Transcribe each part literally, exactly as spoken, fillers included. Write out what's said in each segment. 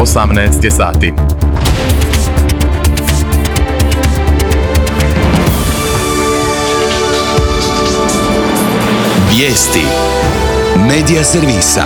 osamnaest je sati. Vijesti Medija servisa.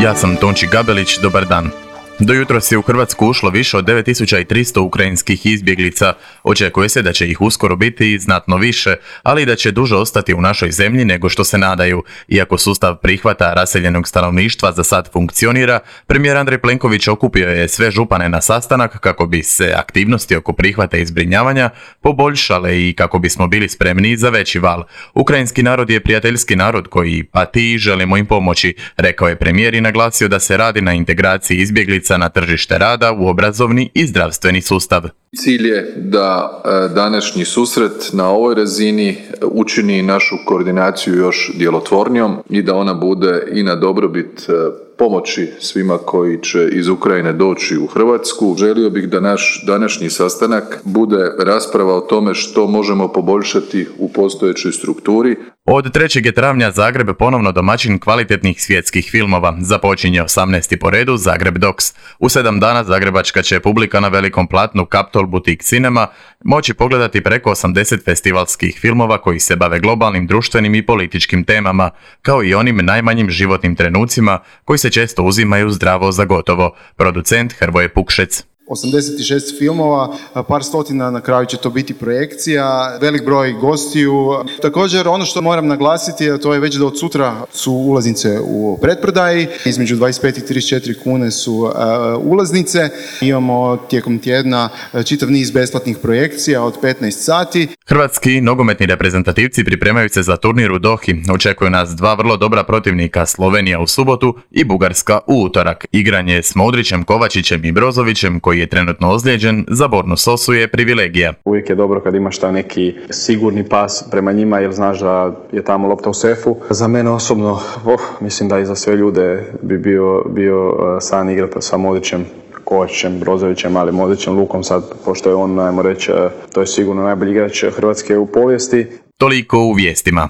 Ja sam Tonči Gabelić, dobar dan. Do jutros je u Hrvatsku ušlo više od devet tisuća tristo ukrajinskih izbjeglica. Očekuje se da će ih uskoro biti znatno više, ali i da će duže ostati u našoj zemlji nego što se nadaju. Iako sustav prihvata raseljenog stanovništva za sad funkcionira, premijer Andrej Plenković okupio je sve župane na sastanak kako bi se aktivnosti oko prihvata i zbrinjavanja poboljšale i kako bismo bili spremni za veći val. Ukrajinski narod je prijateljski narod koji pati i želimo im pomoći, rekao je premijer i naglasio da se radi na integraciji izbjeglica na tržište rada, u obrazovni i zdravstveni sustav. Cilj je da današnji susret na ovoj razini učini našu koordinaciju još djelotvornijom i da ona bude i na dobrobit pomoći svima koji će iz Ukrajine doći u Hrvatsku. Želio bih da naš današnji sastanak bude rasprava o tome što možemo poboljšati u postojećoj strukturi. Od trećeg travnja Zagreb ponovno domaćin kvalitetnih svjetskih filmova. Započinje osamnaesti po redu Zagreb Docs. U sedam dana zagrebačka će publika na velikom platnu Capitol Boutique Cinema moći pogledati preko osamdeset festivalskih filmova koji se bave globalnim, društvenim i političkim temama, kao i onim najmanjim životnim trenucima koji se često uzimaju zdravo za gotovo. Producent Hrvoje Pukšec. osamdeset šest filmova, par stotina na kraju će to biti projekcija, velik broj gostiju. Također ono što moram naglasiti, to je već da od sutra su ulaznice u pretprodaji, između dvadeset pet i trideset četiri kune su uh, ulaznice. Imamo tijekom tjedna čitav niz besplatnih projekcija od petnaest sati. Hrvatski nogometni reprezentativci pripremaju se za turnir u Dohi. Očekuju nas dva vrlo dobra protivnika, Slovenija u subotu i Bugarska u utorak. Igranje s Modrićem, Kovačićem i Brozovićem, koji je trenutno ozlijeđen, za Bornu Sosu je privilegija. Uvijek je dobro kad imaš taj neki sigurni pas prema njima jer znaš da je tamo lopta u sefu. Za mene osobno, oh, mislim da i za sve ljude bi bio, bio san igrati sa Modrićem, Kovačićem, Brozovićem, ali Modrićem, Lukom sad, pošto je on, ajmo reći, to je sigurno najbolji igrač Hrvatske u povijesti. Toliko u vijestima.